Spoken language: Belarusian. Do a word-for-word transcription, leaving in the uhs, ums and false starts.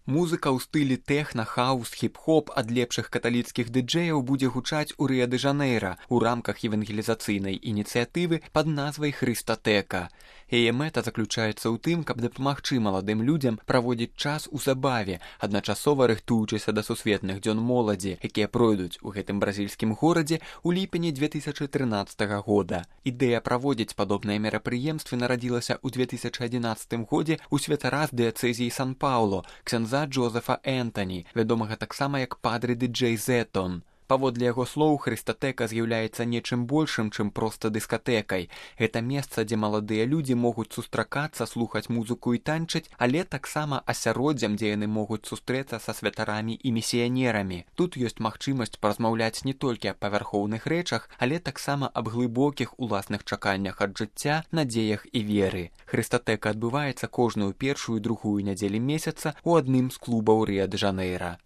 Музыка ў стылі тэхна, хаус, хіп-хоп ад лепшых каталіцкіх дыджэяў будзе гучаць у Рыа-дэ-Жанэйра ў рамках евангелізацыйнай ініцыятывы пад назвай «Хрыстатэка». Яе мэта заключаецца ў тым, каб дапамагчы маладым людзям праводзіць час у забаве, адначасова рыхтуючыся да сусветных дзён моладзі, якія пройдуць у гэтым бразільскім горадзе ў ліпені дзве тысячы трынаццатага года. Ідэя праводзіць падобныя мерапрыемствы нарадзілася ў дзве тысячы адзінаццатым годзе ў святара з дыяцэзіі Сан-Паўло, ксяндза Джозефа Энтані, вядомага таксама як падры дыджэй Зетон. Паводле яго слоў, Хрыстатэка з'яўляецца нечым большым, чым проста дыскатэкай. Гэта месца, дзе маладыя людзі могуць сустракацца, слухаць музыку і танчыць, але таксама асяроддзем, дзе яны могуць сустрэцца са святарамі і місіянерамі. Тут ёсць магчымасць паразмаўляць не толькі аб павярхоўных рэчах, але таксама аб глыбокіх уласных чаканнях ад жыцця, надзеях і веры. Хрыстатэка адбываецца кожную першую і другую нядзелі месяца ў адным з клубаў Рыа-дэ-Жанэйра.